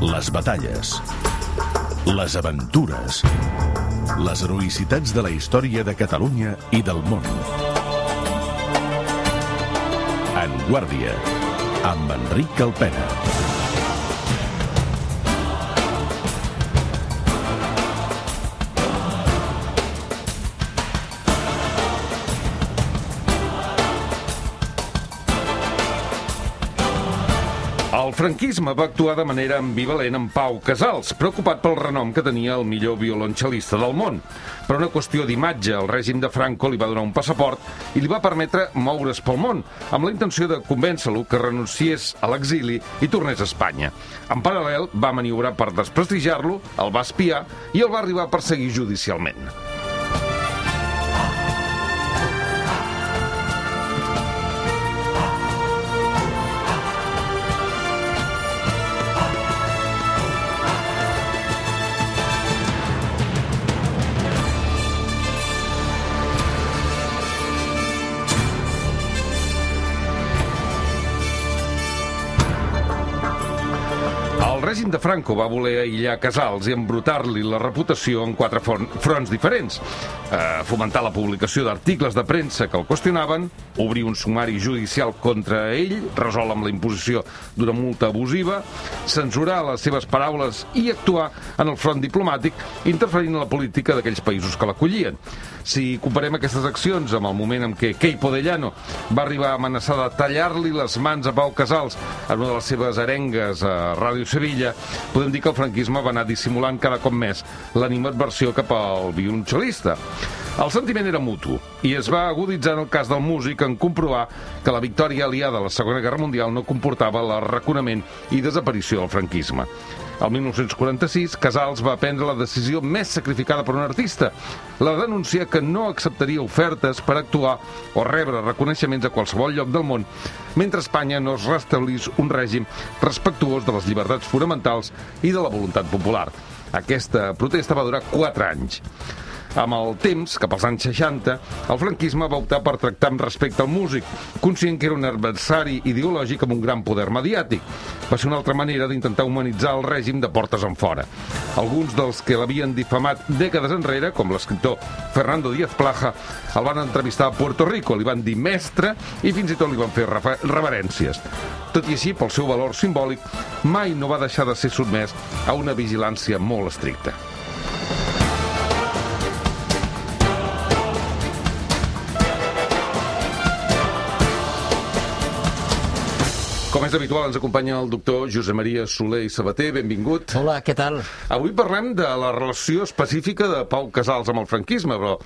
les batalles, les aventures, les heroïcitats de la història de Catalunya i del món. En Guàrdia, amb Enric Calpena. El franquisme va actuar de manera ambivalent amb Pau Casals, preocupat pel renom que tenia el millor violoncel·lista del món. Per una qüestió d'imatge, el règim de Franco li va donar un passaport i li va permetre moure's pel món, amb la intenció de convèncer-lo que renunciés a l'exili i tornés a Espanya. En paral·lel, va maniobrar per desprestigiar-lo, el va espiar i el va arribar a perseguir judicialment. El règim de Franco va voler aïllar Casals i embrutar-li la reputació en 4 fronts diferents. Fomentar la publicació d'articles de premsa que el qüestionaven, obrir un sumari judicial contra ell, resolt amb la imposició d'una multa abusiva, censurar les seves paraules i actuar en el front diplomàtic, interferint en la política d'aquells països que l'acollien. Si comparem aquestes accions amb el moment en què Queipo de Llano va arribar a amenaçar de tallar-li les mans a Pau Casals en una de les seves arengues a Ràdio Sevilla, podem dir que el franquisme va anar dissimulant cada cop més l'animadversió cap al violoncel·lista. El sentiment era mutu i es va aguditzar en el cas del músic en comprovar que la victòria aliada a la Segona Guerra Mundial no comportava l'arraconament i desaparició del franquisme. El 1946, Casals va prendre la decisió més sacrificada per un artista, la de denunciar que no acceptaria ofertes per actuar o rebre reconeixements a qualsevol lloc del món, mentre Espanya no es restablís un règim respectuós de les llibertats fonamentals i de la voluntat popular. Aquesta protesta va durar 4 anys. Amb el temps, cap als anys 60, el franquisme va optar per tractar amb respecte al músic, conscient que era un adversari ideològic amb un gran poder mediàtic. Va ser una altra manera d'intentar humanitzar el règim de portes enfora. Alguns dels que l'havien difamat dècades enrere, com l'escriptor Fernando Díaz Plaja, el van entrevistar a Puerto Rico, li van dir mestre i fins i tot li van fer reverències. Tot i així, pel seu valor simbòlic, mai no va deixar de ser sotmès a una vigilància molt estricta. Com és habitual, ens acompanya el doctor Josep Maria Soler i Sabater. Benvingut. Hola, què tal? Avui parlem de la relació específica de Pau Casals amb el franquisme, però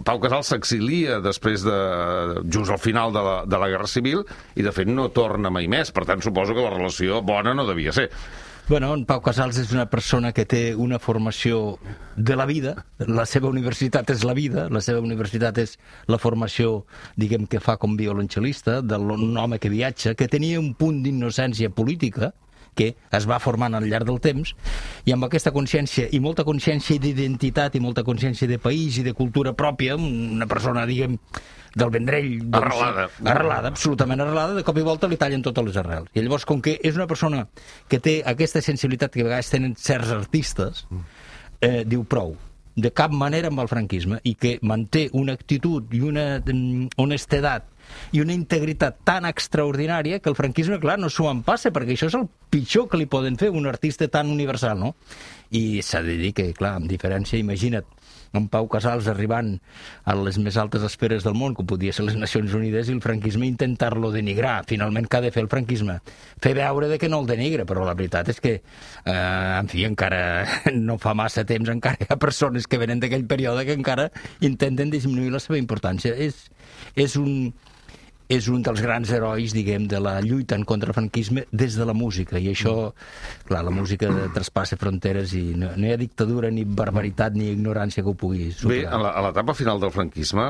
Pau Casals s'exilia després just al final de la Guerra Civil i, de fet, no torna mai més. Per tant, suposo que la relació bona no devia ser. Bueno, en Pau Casals és una persona que té una formació de la vida, la seva universitat és la vida, la seva universitat és la formació, diguem, que fa com violoncel·lista, d'un home que viatja, que tenia un punt d'innocència política, que es va formant al llarg del temps, i amb aquesta consciència, i molta consciència d'identitat, i molta consciència de país i de cultura pròpia, una persona, diguem, del Vendrell... Arrelada, absolutament arrelada, de cop i volta li tallen totes les arrels. I llavors, com que és una persona que té aquesta sensibilitat que a vegades tenen certs artistes, diu prou, de cap manera amb el franquisme, i que manté una actitud i una honestedat i una integritat tan extraordinària que el franquisme, clar, no s'ho empassa, perquè això és el pitjor que li poden fer un artista tan universal, no? I s'ha de dir que, clar, amb diferència, imagina't, en Pau Casals arribant a les més altes esferes del món, com podia ser les Nacions Unides, i el franquisme intentar-lo denigrar. Finalment, què ha de fer el franquisme? Fer veure que no el denigra, però la veritat és que, en fi, encara no fa massa temps, encara hi ha persones que venen d'aquell període que encara intenten disminuir la seva importància. És un dels grans herois, diguem, de la lluita en contra el franquisme des de la música, i això, clar, la música traspassa fronteres i no hi ha dictadura, ni barbaritat, ni ignorància que ho pugui superar. Bé, a l'etapa final del franquisme,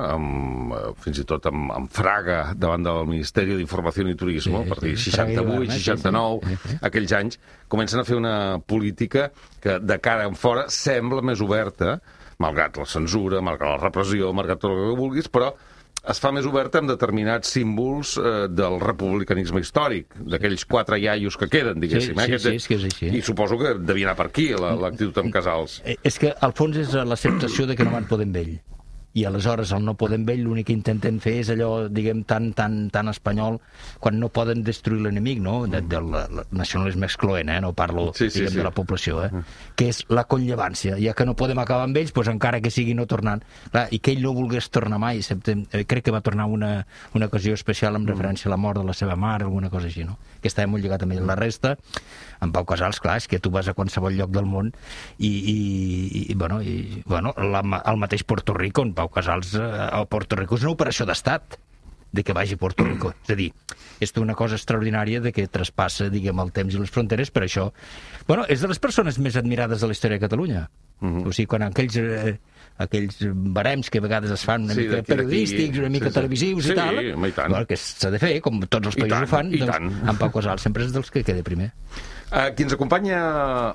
fins i tot amb Fraga davant del Ministeri d'Informació i Turisme, per dir 68, 69, aquells anys, comencen a fer una política que de cara en fora sembla més oberta, malgrat la censura, malgrat la repressió, malgrat tot el que vulguis, però es fa més oberta amb determinats símbols del republicanisme històric, d'aquells 4 iaios que queden, diguéssim. Sí, és que és així. I suposo que devia anar per aquí, l'actitud amb Casals. És que, al fons, és l'acceptació de que no van poder amb ell. I aleshores el no poden amb ell l'únic que intenten fer és allò, diguem, tan espanyol, quan no poden destruir l'enemic, no? Del nacionalisme excloent, no parlo, diguem, de la població, que és la conllevància. Ja que no podem acabar amb ells, doncs encara que sigui no tornant. Clar, i que ell no volgués tornar mai, excepte, crec que va tornar una ocasió especial en referència a la mort de la seva mare, alguna cosa així, no? Que estava molt lligat amb ell. La resta, en Pau Casals, clar, és que tu vas a qualsevol lloc del món i el mateix Puerto Rico, on Pau Casals a Puerto Rico és una operació d'estat de que vagi a Puerto Rico. És a dir, és una cosa extraordinària de que traspassa, diguem, el temps i les fronteres, per això... Bueno, és de les persones més admirades de la història de Catalunya. O sigui, quan aquells barems que a vegades es fan una mica periodístics, una mica televisius i tal, que s'ha de fer, com tots els països ho fan, doncs en Pau Casals sempre és dels que queda primer. Qui ens acompanya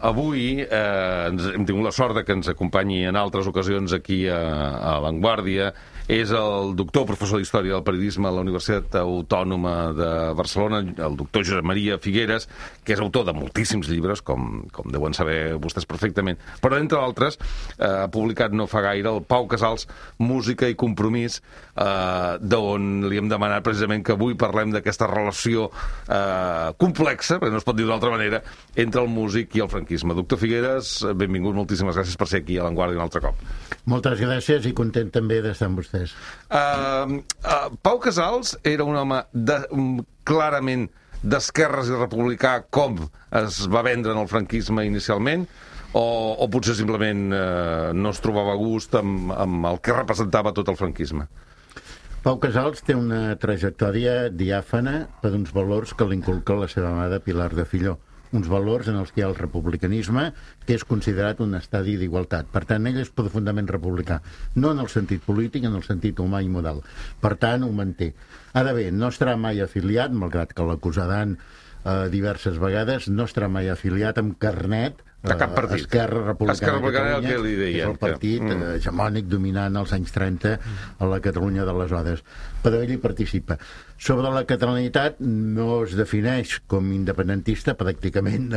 avui, hem tingut la sort que ens acompanyi en altres ocasions aquí a La Vanguardia, és el doctor, professor d'Història del Periodisme a la Universitat Autònoma de Barcelona, el doctor Josep Maria Figueres, que és autor de moltíssims llibres, com deuen saber vostès perfectament, però entre altres ha publicat no fa gaire el Pau Casals, Música i Compromís, d'on li hem demanat precisament que avui parlem d'aquesta relació complexa, perquè no es pot dir d'altra manera, entre el músic i el franquisme. Doctor Figueres, benvingut, moltíssimes gràcies per ser aquí a La Vanguardia un altre cop. Moltes gràcies i content també d'estar amb vostès. Pau Casals era un home clarament d'esquerres i republicà, com es va vendre en el franquisme inicialment, o potser simplement no es trobava a gust amb el que representava tot el franquisme? Pau Casals té una trajectòria diàfana per uns valors que l'inculca la seva mare Pilar de Filló. Uns valors en els que hi ha el republicanisme, que és considerat un estadi d'igualtat. Per tant, ell és profundament republicà. No en el sentit polític, en el sentit humà i moral. Per tant, ho manté. Ara bé, no estarà mai afiliat, malgrat que l'acusaran diverses vegades, no estarà mai afiliat amb carnet de cap partit. Esquerra Republicana de Catalunya, que li deien, que és el partit hegemònic dominant als anys 30 a la Catalunya d'aleshores. Però ell hi participa. Sobre la catalanitat no es defineix com independentista, pràcticament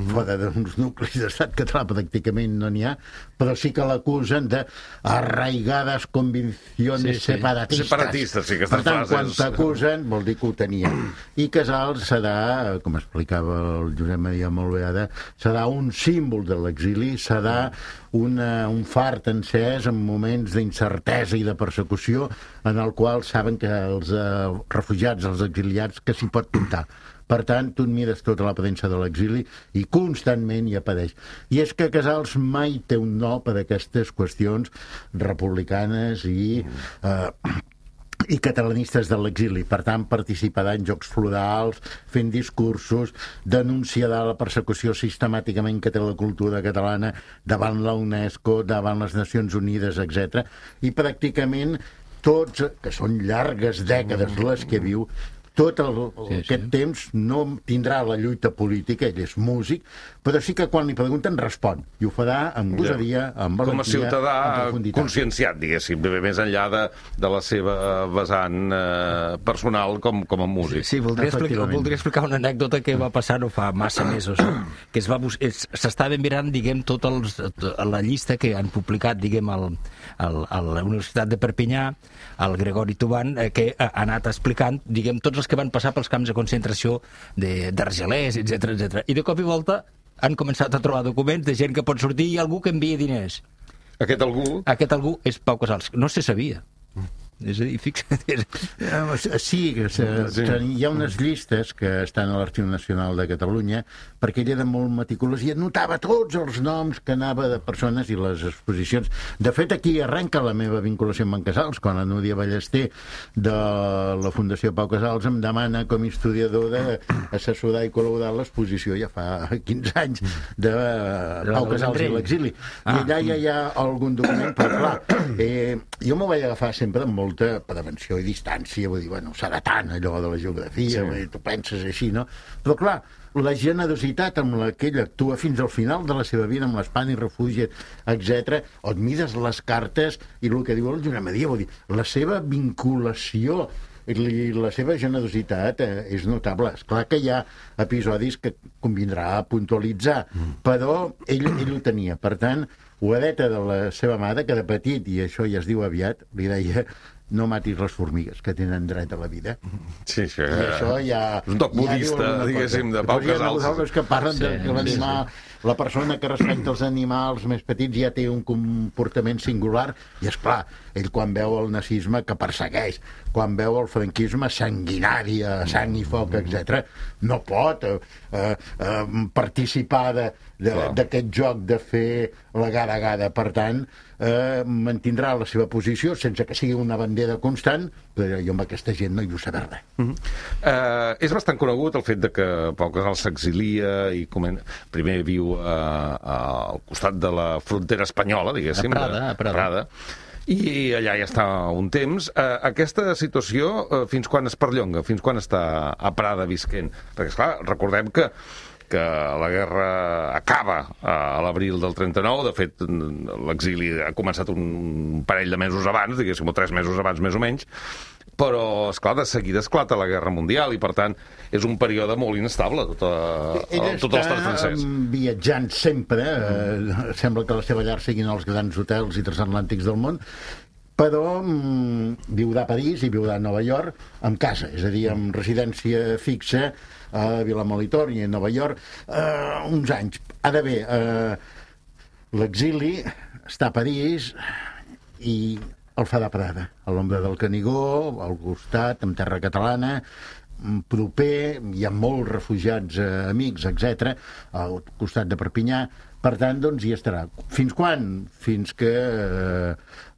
fora d'uns nuclis d'estat català pràcticament no n'hi ha, però sí que l'acusen d'arraigades convicciones separatistes. Separatistes, sí, aquestes frases. Per tant, quan t'acusen vol dir que ho tenia. I Casals serà, com explicava el Josep Maria molt bé ara, serà un símbol de l'exili, serà un fart encès en moments d'incertesa i de persecució en el qual saben que els refugiats, els exiliats, que s'hi pot comptar. Per tant, tu et mires tota la premsa de l'exili i constantment hi apareix. I és que Casals mai té un no per aquestes qüestions republicanes i catalanistes de l'exili. Per tant, participarà en jocs florals, fent discursos, denunciarà la persecució sistemàticament que té la cultura catalana davant la UNESCO, davant les Nacions Unides, etc. I pràcticament tots, que són llargues dècades les que viu, tot aquest temps no tindrà la lluita política, ell és músic, però sí que quan li pregunten respon, i ho farà amb gosadia, amb valentia, com a ciutadà conscienciat, diguéssim, més enllà de la seva vessant personal com a músic. Sí, voldria explicar una anècdota que va passar no fa massa mesos, que s'estava mirant, diguem, tota la llista que han publicat, diguem, a la Universitat de Perpinyà, el Gregori Tuban, que ha anat explicant, diguem, tots els que van passar pels camps de concentració d'Argelers, etc. I de cop i volta han començat a trobar documents de gent que pot sortir i algú que envia diners. Aquest algú és Pau Casals. No se sabia. És a dir, fixa't. Sí, hi ha unes llistes que estan a l'Arxiu Nacional de Catalunya perquè ell era molt meticulós i anotava tots els noms que anava de persones i les exposicions. De fet, aquí arrenca la meva vinculació amb en Casals, quan la Núria Ballester de la Fundació Pau Casals em demana com a historiadora assessorar i col·laborar l'exposició ja fa 15 anys de Pau Casals i l'exili. I allà ja hi ha algun document, però clar, jo m'ho vaig agafar sempre amb molt molta prevenció i distància, vull dir, bueno, serà tant allò de la geografia, vull dir, tu penses així, no? Però clar, la generositat amb la que ell actua fins al final de la seva vida, amb l'Espanya i refugi, etc. On mides les cartes i el que diu el Josep Maria, vull dir, la seva vinculació i la seva generositat és notable. És clar que hi ha episodis que convindrà puntualitzar, però ell ho tenia. Per tant, ho hereta de la seva mare, que de petit, i això ja es diu aviat, li deia: no matis les formigues, que tenen dret a la vida. Sí, això, I això ja... un toc budista, diguéssim, de Pau Casals. Hi ha que parlen de l'animal... La persona que respecta els animals més petits ja té un comportament singular i, és clar, ell quan veu el nazisme que persegueix, quan veu el franquisme sanguinari, sang i foc, etc., no pot participar d'aquest joc de fer la gara-gara. Per tant, mantindrà la seva posició sense que sigui una bandera constant, però jo amb aquesta gent no hi vull saber res. És bastant conegut el fet de que Pau Casals s'exilia i primer viu al costat de la frontera espanyola, diguéssim, a Prada. I allà ja està un temps. Aquesta situació, fins quan es perllonga? Fins quan està a Prada visquent? Perquè, esclar, recordem que la guerra acaba a l'abril del 39, de fet l'exili ha començat un parell de mesos abans, diguéssim, o 3 mesos abans més o menys, però, esclar, de seguida esclata la Guerra Mundial i, per tant, és un període molt inestable, tot l'estat francès. Ell està viatjant sempre, sembla que la seva llar siguin els grans hotels i transatlàntics del món, però viurà a París i viurà a Nova York amb casa, és a dir, amb residència fixa a Vilamolitor i a Nova York uns anys. Ara bé, l'exili està a París i el fa de Prada, a l'ombra del Canigó, al costat, en terra catalana, proper, hi ha molts refugiats amics, etc., al costat de Perpinyà. Per tant, doncs, hi estarà. Fins quan? Fins que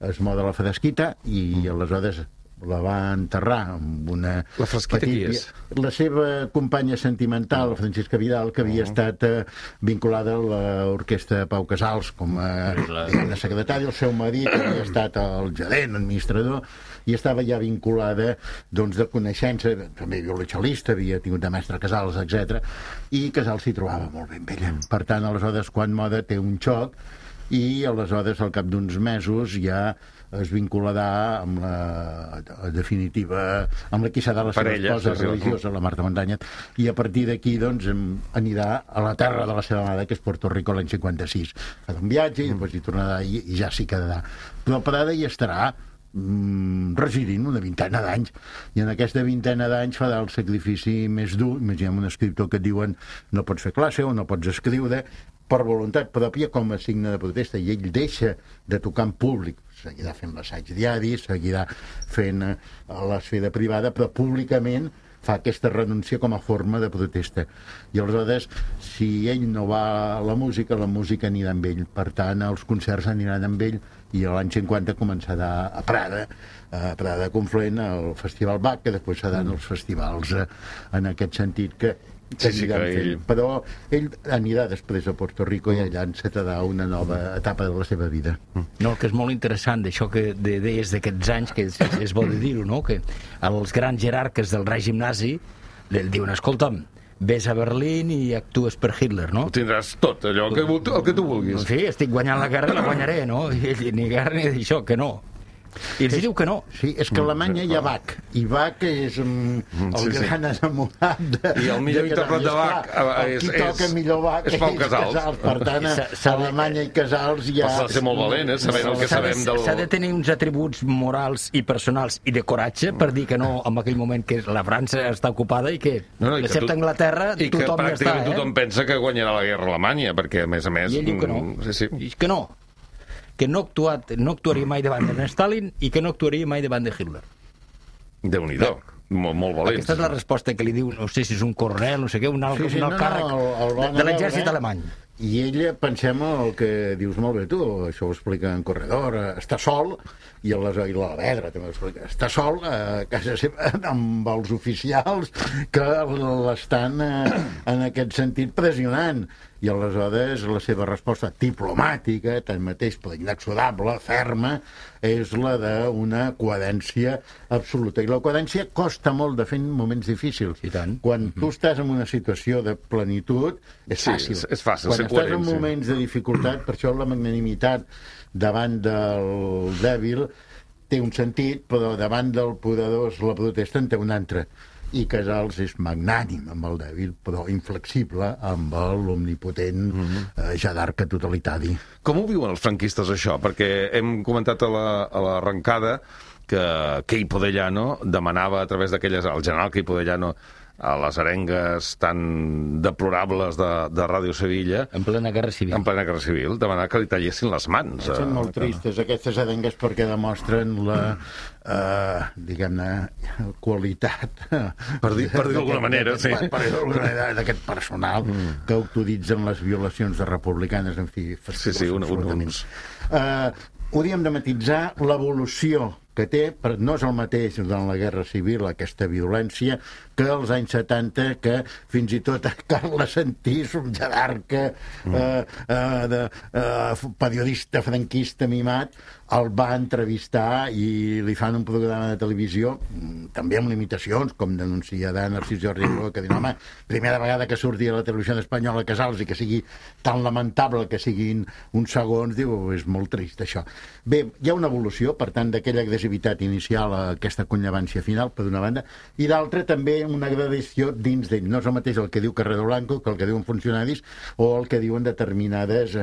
es moda la fresquita i aleshores la va enterrar amb una... La fresquita qui és? La seva companya sentimental, Francisca Vidal, que havia estat vinculada a l'orquestra Pau Casals com a secretari. El seu marit havia estat el gerent, administrador, i estava ja vinculada, doncs, de coneixença, també violoncel·lista, havia tingut de mestre Casals, etc. I Casals s'hi trobava molt bé amb ella. Per tant, aleshores, quan moda té un xoc, i aleshores, al cap d'uns mesos, ja es vincularà amb la definitiva, amb la qui serà la seva esposa religiosa, la Marta Mandanyet, i a partir d'aquí, doncs, anirà a la terra de la seva mare, que és Puerto Rico, l'any 56. Farà un viatge i després hi tornarà i ja s'hi quedarà. Però Prada hi estarà residint una vintena d'anys, i en aquesta vintena d'anys farà el sacrifici més dur. Imaginem un escriptor que et diuen no pots fer classe o no pots escriure, per voluntat pròpia, com a signe de protesta, i ell deixa de tocar en públic, seguirà fent l'assaig diari, seguirà fent l'esfera privada, però públicament fa aquesta renúncia com a forma de protesta. I aleshores, si ell no va a la música anirà amb ell. Per tant, els concerts aniran amb ell, i l'any 50 començarà a Prada Confluent, al Festival Bach, que després seran els festivals en aquest sentit que però ell anirà després a Puerto Rico i allà encetarà una nova etapa de la seva vida. No, el que és molt interessant d'això que deies d'aquests anys, que és bo de dir-ho, no? Que els grans jerarques del règim nazi li diuen, escolta'm, ves a Berlín i actues per Hitler, no? Ho tindràs tot, allò el que tu vulguis. Sí, estic guanyant la guerra i la guanyaré, no? I ell, ni guerra ni d'això, que no. I els diu que no. Sí, és que a Alemanya hi ha Bach, i Bach és el gran enamorat i el millor intèrpret de Bach qui toca millor Bach és Pau Casals. Per tant, a Alemanya i Casals ja... S'ha de ser molt valent, sabent el que sabem del... S'ha de tenir uns atributs morals i personals i de coratge per dir que no en aquell moment que la França està ocupada i que excepte Anglaterra tothom ja està. I que pràcticament tothom pensa que guanyarà la guerra a Alemanya, perquè a més I ell diu que no. Sí. Que no. Que no actuaria mai davant de Stalin i que no actuaria mai davant de Hitler. Déu-n'hi-do, molt valent. Aquesta és la resposta que li diu, no sé si és un coronel, no sé què, un alt càrrec de l'exèrcit alemany. I ella, pensem el que dius molt bé tu, això ho explica en Corredor, està sol, i la Vedra també ho explica, està sol a casa seva amb els oficials que l'estan en aquest sentit pressionant, i aleshores la seva resposta diplomàtica, tanmateix però inexorable, ferma, és la d'una coherència absoluta. I la coherència costa molt de fer en moments difícils. I tant. Quan tu estàs en una situació de plenitud, és fàcil. És fàcil Quan ser estàs coherent, en moments de dificultat, per això la magnanimitat davant del dèbil té un sentit, però davant del poderós la protesta en té un altre. I Casals és magnànim amb el dèbil, però inflexible amb l'omnipotent jadarca totalitari. Com ho viuen els franquistes, això? Perquè hem comentat a l'arrencada que Queipo de Llano demanava a través d'aquelles... El general Queipo de Llano a les arengues tan deplorables de Ràdio Sevilla... En plena guerra civil. En plena guerra civil, demanar que li tallessin les mans. Són molt tristes aquestes arengues perquè demostren la, diguem-ne, qualitat... Per dir-ho d'alguna manera, sí. Per dir-ho d'alguna manera, d'aquest personal que autoritzen les violacions de republicanes, en fi... Sí, uns... Hauríem de matisar l'evolució que té, no és el mateix en la Guerra Civil, aquesta violència, que als anys 70, que fins i tot Carles Santís, un jadarca, periodista franquista mimat, el va entrevistar i li fan un programa de televisió, també amb limitacions, com denuncia Narcís Jordi, que diu, home, primera vegada que surti a la televisió espanyola Casals i que sigui tan lamentable que siguin uns segons, diu, és molt trist això. Bé, hi ha una evolució, per tant, d'aquella agressivitat inicial a aquesta connivència final, per d'una banda, i d'altra també una gradació dins d'ell. No és el mateix el que diu Carrero Blanco que el que diuen funcionaris o el que diuen determinades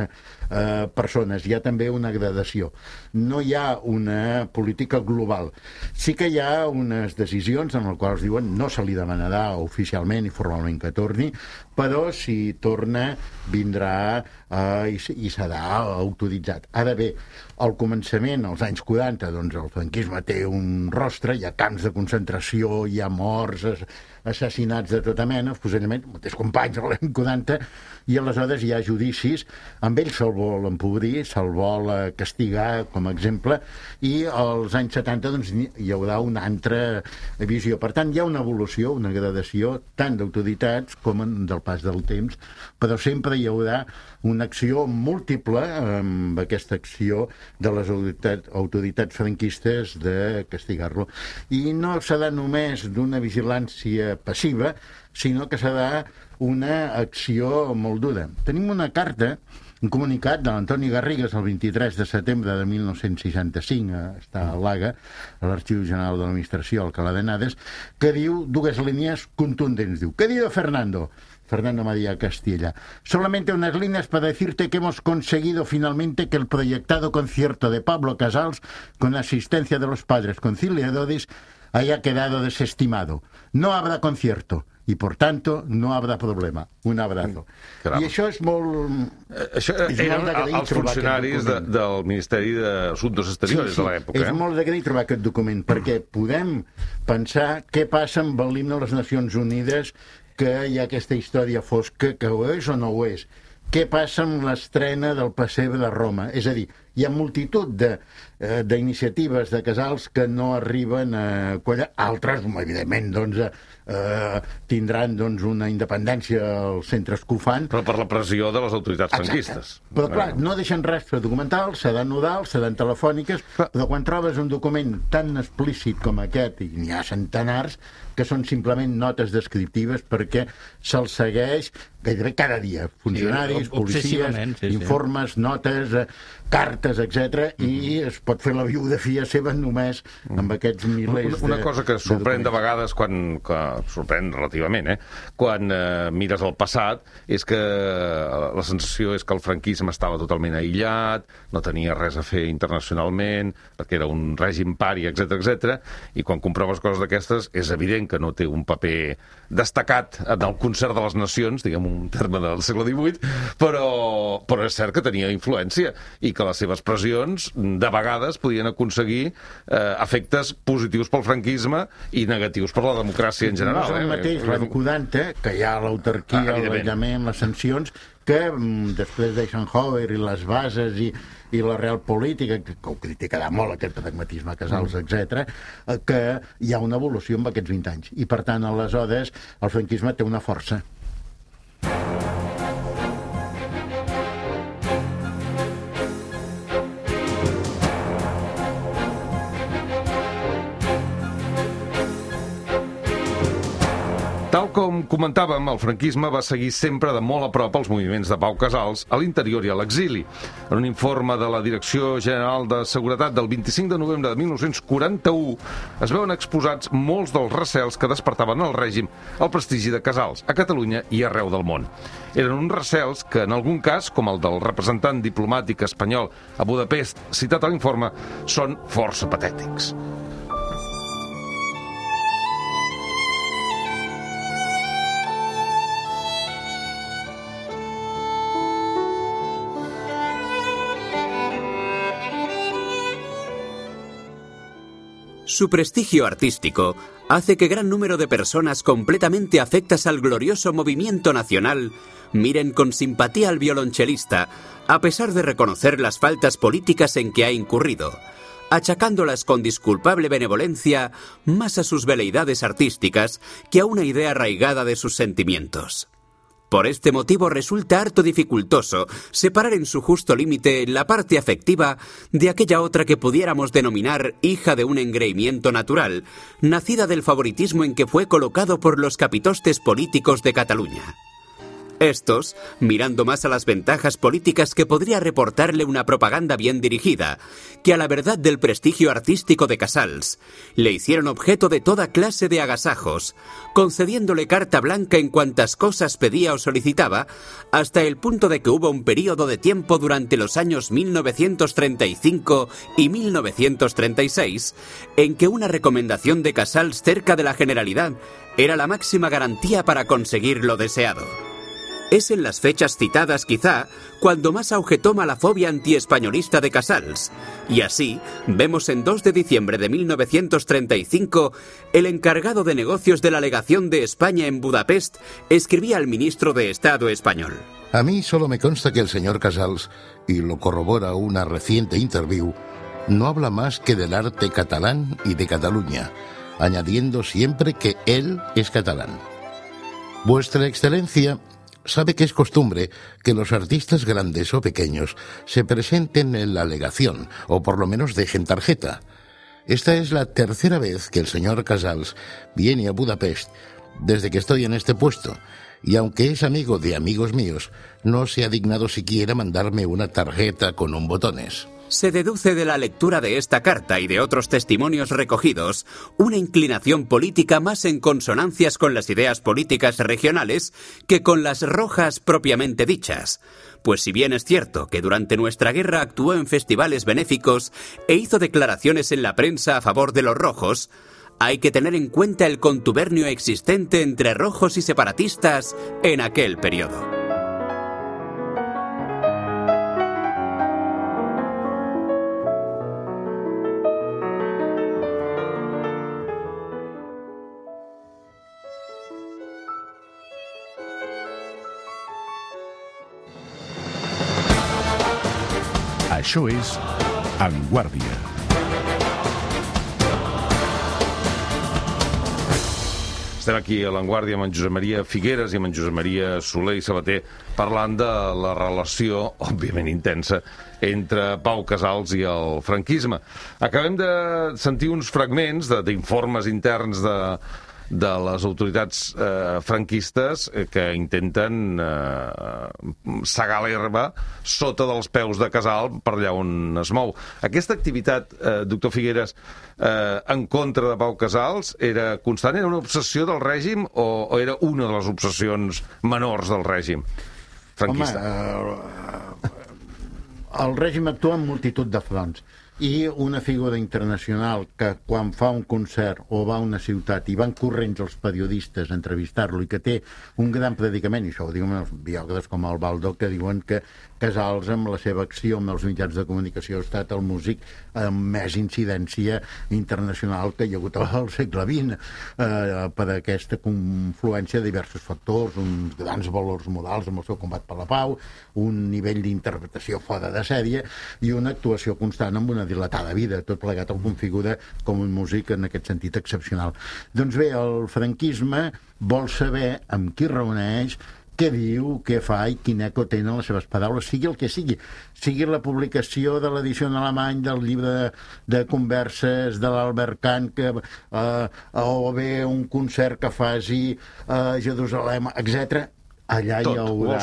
persones. Hi ha també una gradació. No hi ha una política global. Sí que hi ha unes decisions en les quals diuen no se li demanarà oficialment i formalment que torni, però si torna vindrà i serà autoritzat. Ara bé, al començament, als anys 40, doncs el franquisme té un rostre, hi ha camps de concentració, hi ha morts, assassinats de tota mena, fusellaments, mateix companys a l'any 40, i aleshores hi ha judicis, amb ells se'l vol empobrir, se'l vol castigar, com a exemple, i als anys 70 doncs, hi haurà una altra visió. Per tant, hi ha una evolució, una gradació, tant d'autoritats com del pas del temps, però sempre hi haurà una acció múltiple amb aquesta acció de les autoritats franquistes de castigar-lo. I no serà només d'una vigilància passiva, sinó que serà una acció molt dura. Tenim una carta, un comunicat de l'Antoni Garrigues el 23 de setembre de 1965, està a l'Haga, a l'Arxiu General de l'Administració, al Alcalá de Henares, que diu dues línies contundents. Diu, querido Fernando María Castilla, solamente unas líneas para decirte que hemos conseguido finalmente que el proyectado concierto de Pablo Casals, con asistencia de los padres conciliadores, haya quedado desestimado. No habrá concierto y, por tanto, no habrá problema. Un abrazo. Caram. I això és molt... Això eren els funcionaris del Ministeri d'Assumptes Exteriors de l'època. És molt d'agrair trobar aquest document, perquè podem pensar què passa amb l'himne de les Nacions Unides, que hi ha aquesta història fosca, que ho és o no ho és. Què passa amb l'estrena del Pessebre de Roma? És a dir, hi ha multitud d'iniciatives de Casals que no arriben a quallar. Altres, evidentment, doncs, tindran una independència als centres que ho fan. Però per la pressió de les autoritats franquistes. Però, clar, no deixen rastre documental, seran nodals, seran telefòniques, però quan trobes un document tan explícit com aquest, i n'hi ha centenars, que són simplement notes descriptives perquè se'ls segueix gairebé cada dia. Funcionaris, policies, informes, notes, cartes, etc. I es pot fer la biografia seva només amb aquests milers Una cosa que sorprèn de vegades, sorprèn relativament, quan mires el passat, és que la sensació és que el franquisme estava totalment aïllat, no tenia res a fer internacionalment, perquè era un règim pari, etc. I quan comproves coses d'aquestes, és evident que no té un paper destacat en el concert de les nacions, diguem un terme del segle XVIII, però és cert que tenia influència i que les seves pressions de vegades podien aconseguir efectes positius pel franquisme i negatius per la democràcia en general. No és el mateix l'any 40, que hi ha l'autarquia, l'aïllament, les sancions, que després d'Eisenhower i les bases i la real política, que ho criticarà molt aquest pragmatisme Casals, etc., que hi ha una evolució en aquests 20 anys. I per tant, aleshores, el franquisme té una força. Tal com comentàvem, el franquisme va seguir sempre de molt a prop els moviments de Pau Casals a l'interior i a l'exili. En un informe de la Direcció General de Seguretat del 25 de novembre de 1941 es veuen exposats molts dels recels que despertaven al règim el prestigi de Casals a Catalunya i arreu del món. Eren uns recels que, en algun cas, com el del representant diplomàtic espanyol a Budapest citat a l'informe, són força patètics. Su prestigio artístico hace que gran número de personas completamente afectas al glorioso movimiento nacional miren con simpatía al violonchelista, a pesar de reconocer las faltas políticas en que ha incurrido, achacándolas con disculpable benevolencia más a sus veleidades artísticas que a una idea arraigada de sus sentimientos. Por este motivo resulta harto dificultoso separar en su justo límite la parte afectiva de aquella otra que pudiéramos denominar hija de un engreimiento natural, nacida del favoritismo en que fue colocado por los capitostes políticos de Cataluña. Estos, mirando más a las ventajas políticas que podría reportarle una propaganda bien dirigida, que a la verdad del prestigio artístico de Casals, le hicieron objeto de toda clase de agasajos, concediéndole carta blanca en cuantas cosas pedía o solicitaba, hasta el punto de que hubo un período de tiempo durante los años 1935 y 1936, en que una recomendación de Casals cerca de la Generalidad era la máxima garantía para conseguir lo deseado. Es en las fechas citadas, quizá, cuando más auge toma la fobia antiespañolista de Casals. Y así, vemos en 2 de diciembre de 1935, el encargado de negocios de la legación de España en Budapest escribía al ministro de Estado español. A mí solo me consta que el señor Casals, y lo corrobora una reciente interview, no habla más que del arte catalán y de Cataluña, añadiendo siempre que él es catalán. Vuestra Excelencia sabe que es costumbre que los artistas grandes o pequeños se presenten en la legación, o por lo menos dejen tarjeta. Esta es la tercera vez que el señor Casals viene a Budapest desde que estoy en este puesto, y aunque es amigo de amigos míos, no se ha dignado siquiera mandarme una tarjeta con un botones. Se deduce de la lectura de esta carta y de otros testimonios recogidos una inclinación política más en consonancias con las ideas políticas regionales que con las rojas propiamente dichas. Pues si bien es cierto que durante nuestra guerra actuó en festivales benéficos e hizo declaraciones en la prensa a favor de los rojos, hay que tener en cuenta el contubernio existente entre rojos y separatistas en aquel periodo. Això és En Guàrdia. Estem aquí a l'Enguàrdia amb en Josep Maria Figueres i amb en Josep Maria Soler i Sabater parlant de la relació, òbviament intensa, entre Pau Casals i el franquisme. Acabem de sentir uns fragments d'informes interns de les autoritats franquistes que intenten segar l'herba sota dels peus de Casals per allà on es mou. Aquesta activitat, doctor Figueres, en contra de Pau Casals era constant? Era una obsessió del règim o era una de les obsessions menors del règim franquista? Home, el règim actua en multitud de fronts. I una figura internacional que quan fa un concert o va a una ciutat i van corrents els periodistes a entrevistar-lo i que té un gran predicament, i això ho diuen els biògrafs com el Baldo, que diuen que Casals, amb la seva acció amb els mitjans de comunicació, ha estat el músic amb més incidència internacional que hi ha hagut al segle XX, per aquesta confluència de diversos factors, uns grans valors morals amb el seu combat per la pau, un nivell d'interpretació fora de sèrie i una actuació constant amb una dilatada vida. Tot plegat el configura com un músic en aquest sentit excepcional. Doncs bé, el franquisme vol saber amb qui reuneix, què diu, què fa i quin eco tenen les seves paraules, sigui el que sigui. Sigui la publicació de l'edició en alemany del llibre de converses de l'Albert Kahn, o bé un concert que faci a Jerusalem, etc. Allà hi haurà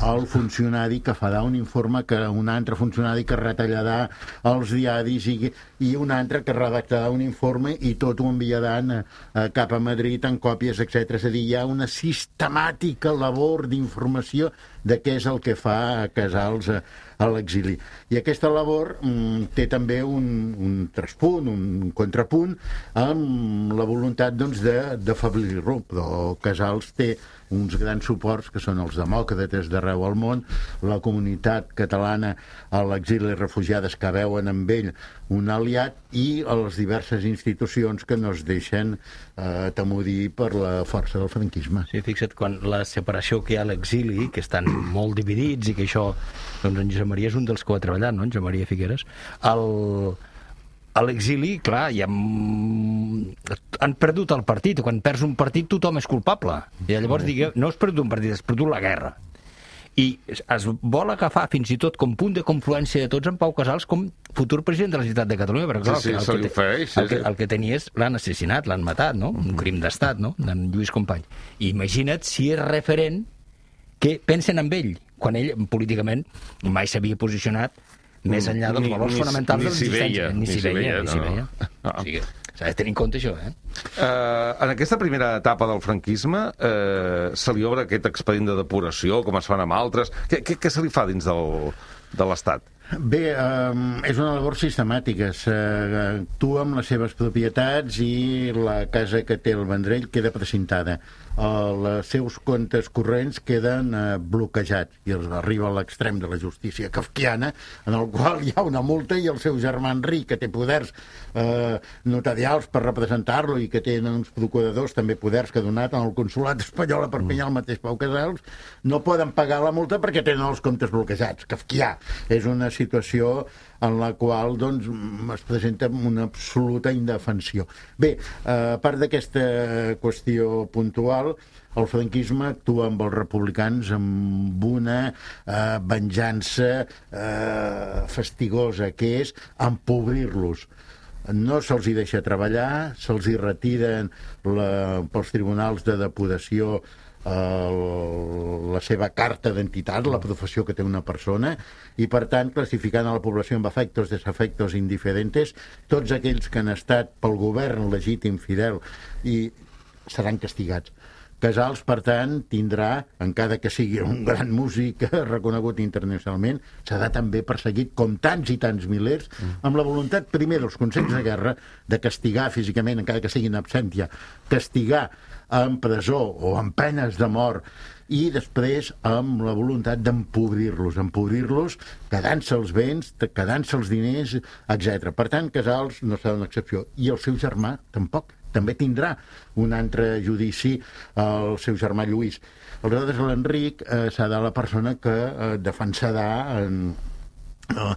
el funcionari que farà un informe, que un altre funcionari que retallarà els diaris i un altre que redactarà un informe i tot ho enviaran cap a Madrid en còpies, etc. És a dir, hi ha una sistemàtica labor d'informació de què és el que fa Casals a l'exili. I aquesta labor té també un traspunt, un contrapunt, amb la voluntat d'afeblir-lo, però Casals té uns grans suports, que són els demòcrates d'arreu del món, la comunitat catalana a l'exili i refugiades que veuen amb ell un aliat, i a les diverses institucions que no es deixen atemorir per la força del franquisme. Sí, fixa't, quan la separació que hi ha a l'exili, que estan molt dividits i que això, doncs en Josep Maria és un dels que ho ha treballat, no?, en Josep Maria Figueres, a l'exili, clar, han perdut el partit. Quan perds un partit tothom és culpable. I llavors no has perdut un partit, has perdut la guerra. I es vol agafar fins i tot com punt de confluència de tots en Pau Casals com futur president de la Generalitat de Catalunya, perquè el que tenia és l'han assassinat, l'han matat, no? Un crim d'estat, no?, d'en Lluís Companys. I imagina't si és referent que pensen en ell, quan ell políticament mai s'havia posicionat més enllà dels valors fonamentals de l'existència. Ni s'hi veia. O sigui, s'ha de tenir en compte això, En aquesta primera etapa del franquisme se li obre aquest expedient de depuració, com es fan amb altres. Què se li fa dins de l'Estat? Bé, és una labor sistemàtica. S'actua amb les seves propietats i la casa que té el Vendrell queda precintada. Els seus comptes corrents queden bloquejats i els arriba a l'extrem de la justícia kafkiana, en el qual hi ha una multa, i el seu germà Enric, que té poders notarials per representar-lo i que tenen uns procuradors també poders que ha donat en el consolat espanyol a Perpinyà el mateix Pau Casals, no poden pagar la multa perquè tenen els comptes bloquejats. Kafkià. És una situació en la qual es presenta una absoluta indefensió. Bé, a part d'aquesta qüestió puntual, el franquisme actua amb els republicans amb una venjança fastigosa, que és empobrir-los. No se'ls hi deixa treballar, se'ls hi retiren pels tribunals de depuració la seva carta d'identitat, la professió que té una persona, i per tant classificant a la població amb afectos, desafectos, indiferentes, tots aquells que han estat pel govern legítim, fidel, i seran castigats. Casals, per tant, tindrà, encara que sigui un gran músic reconegut internacionalment, serà també perseguit, com tants i tants milers, amb la voluntat, primer, dels consells de guerra, de castigar físicament, encara que sigui en absència, castigar en presó o en penes de mort, i després amb la voluntat d'empobrir-los, quedant-se els béns, quedant-se els diners, etc. Per tant, Casals no serà una excepció. I el seu germà tampoc. També tindrà un altre judici el seu germà Lluís. Aleshores, l'Enric serà la persona que defensarà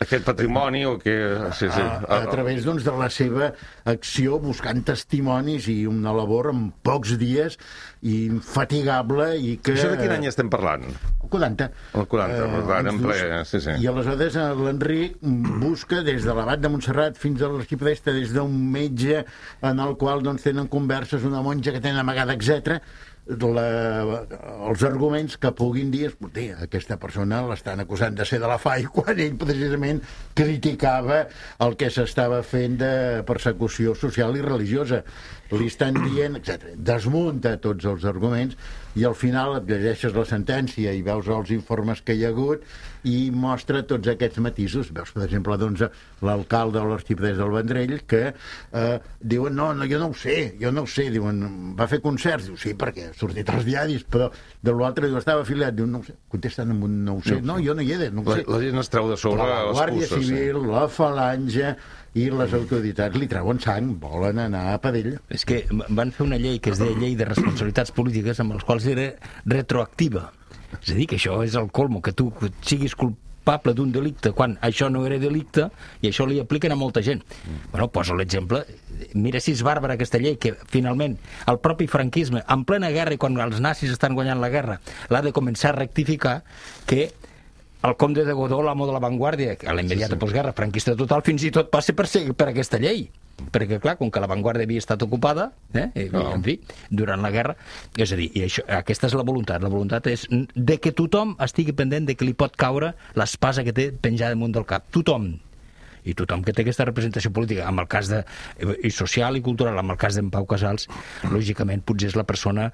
aquest patrimoni o que... a través de la seva acció, buscant testimonis, i una labor en pocs dies infatigable. I que... Això de quin any estem parlant? El 40. El 40, en ple... I aleshores l'Enric busca des de l'Abat de Montserrat fins a l'Arxipreste, des d'un metge en el qual tenen converses, una monja que tenen amagada, etc., els arguments que puguin dir, aquesta persona l'estan acusant de ser de la FAI, quan ell precisament criticava el que s'estava fent de persecució social i religiosa. Li estan dient, etc. Desmunta tots els arguments i al final et llegeixes la sentència i veus els informes que hi ha hagut i mostra tots aquests matisos. Veus, per exemple, l'alcalde de l'Arxipreste del Vendrell, que diuen, no, jo no ho sé, diuen, va fer concerts, diu, sí, perquè ha sortit als diaris, però de l'altre diu, estava afiliat, diu, no ho sé, contesten amb un no ho sé, no, jo no hi he de, no ho sé. La gent es treu de sobre la Guàrdia Civil, la Falange i les autoritats li treuen sang, volen anar a per ell. És que van fer una llei que es deia Llei de Responsabilitats Polítiques, amb els quals era retroactiva. És a dir, que això és el colmo, que tu siguis culpable culpable d'un delicte quan això no era delicte, i això li apliquen a molta gent. Bueno, poso l'exemple. Mira si és bàrbara aquesta llei, que finalment el propi franquisme, en plena guerra i quan els nazis estan guanyant la guerra, l'ha de començar a rectificar, que el comte de Godó, l'amo de l'avantguàrdia, a la immediata postguerra, franquista total, fins i tot passa per aquesta llei. Perquè, clar, com que l'avantguàrdia havia estat ocupada, en fi, durant la guerra, és a dir, i això, aquesta és la voluntat. La voluntat és de que tothom estigui pendent de que li pot caure l'espasa que té penjada damunt del cap. Tothom. I tothom que té aquesta representació política, amb el cas i social i cultural, amb el cas d'en Pau Casals, lògicament potser és la persona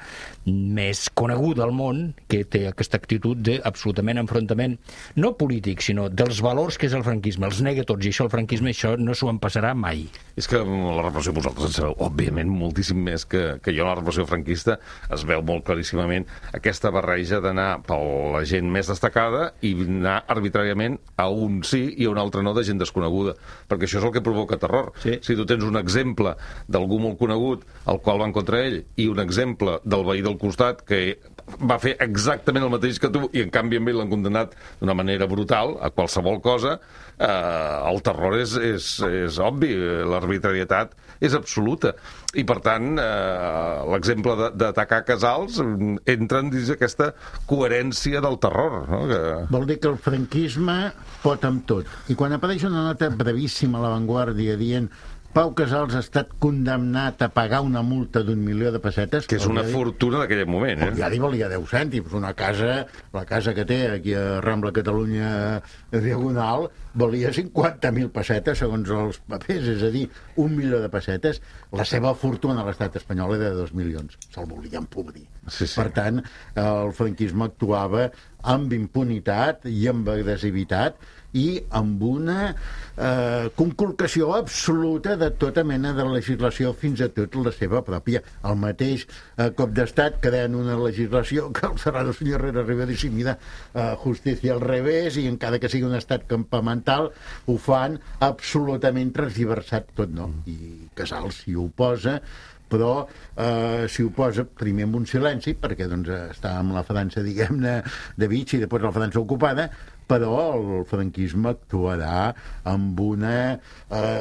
més coneguda al món que té aquesta actitud d'absolutament enfrontament, no polític, sinó dels valors que és el franquisme. Els nega tots, i això el franquisme, això no s'ho en passarà mai. És que la repressió, vosaltres en sabeu, òbviament, moltíssim més que jo. La repressió franquista es veu molt claríssimament aquesta barreja d'anar per la gent més destacada i anar arbitràriament a un sí i a un altre no de gent desconeguda, perquè això és el que provoca terror. Sí. Si tu tens un exemple d'algú molt conegut al qual van contra ell i un exemple del veí del costat que va fer exactament el mateix que tu i en canvi amb ell l'han condemnat d'una manera brutal a qualsevol cosa, el terror és obvi, l'arbitrarietat és absoluta. I, per tant, l'exemple d'atacar Casals entra dins aquesta coherència del terror. No? Vol dir que el franquisme pot amb tot. I quan apareix una nota brevíssima a l'avantguàrdia dient Pau Casals ha estat condemnat a pagar una multa d'1.000.000 de pessetes... Que és una fortuna d'aquell moment, eh? Ja li valia 10 cèntims. Una casa, la casa que té aquí a Rambla Catalunya Diagonal, valia 50.000 pessetes, segons els papers, és a dir, 1.000.000 de pessetes. La seva fortuna a l'estat espanyol era de 2 milions. Se'l volien podrir. Sí, sí. Per tant, el franquisme actuava amb impunitat i amb agressivitat i amb una conculcació absoluta de tota mena de legislació, fins a tot la seva pròpia. El mateix cop d'estat creen una legislació que el Serrano Senyor Herrera Rivera i mira justícia al revés, i encara que sigui un estat campamental ho fan absolutament transversat tot, no? I Casals s'hi oposa, però s'hi oposa primer amb un silenci, perquè doncs, està amb la França, diguem-ne, de Vichy, i després la França ocupada, però el franquisme actuarà amb una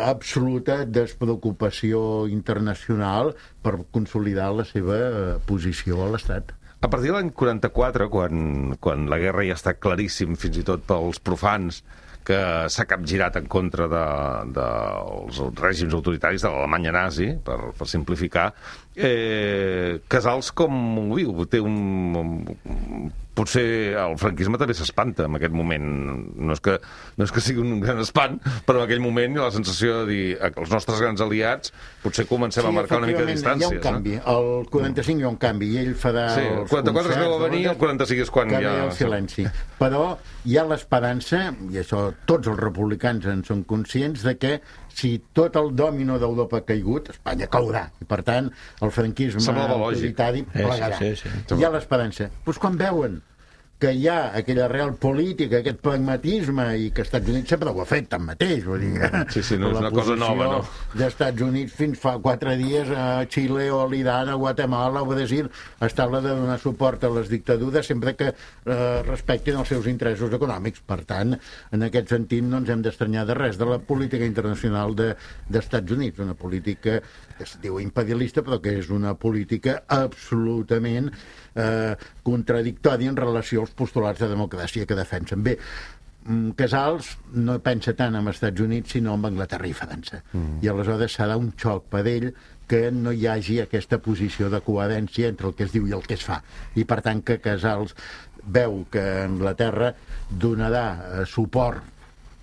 absoluta despreocupació internacional per consolidar la seva posició a l'Estat. A partir de l'any 44, quan la guerra ja està claríssim, fins i tot pels profans, que s'ha capgirat en contra dels règims autoritaris de l'Alemanya nazi, per simplificar, Casals com ho viu? Potser el franquisme també s'espanta en aquest moment. No és que sigui un gran espant, però en aquell moment hi ha la sensació de dir que els nostres grans aliats potser comencem a marcar una mica de distàncies. Hi ha un canvi. El 45 hi ha un canvi i ell farà el 44 es veu a venir, el 45 és quan hi ha el silenci. Però hi ha l'esperança, i això tots els republicans en són conscients, de que si tot el dòmino d'Europa ha caigut, Espanya caurà. I, per tant, el franquisme autoritari plegarà. Sí. Hi ha l'esperança. Doncs quan veuen que hi ha aquella real política, aquest pragmatisme, i que els Estats Units sempre ho ha fet tanmateix, vull dir, sí, no és una cosa nova, no? Dels Estats Units fins fa 4 dies a Xile o a l'Iran, a Guatemala, a Brasil, està la de donar suport a les dictadures sempre que respectin els seus interessos econòmics. Per tant, en aquest sentit no ens hem d'estranyar de res de la política internacional dels Estats Units, una política que es diu imperialista, però que és una política absolutament contradictòria en relació als postulats de democràcia que defensen. Bé, Casals no pensa tant en els Estats Units sinó en Anglaterra i França. I aleshores serà un xoc per ell que no hi hagi aquesta posició de coherència entre el que es diu i el que es fa. I per tant que Casals veu que Anglaterra donarà suport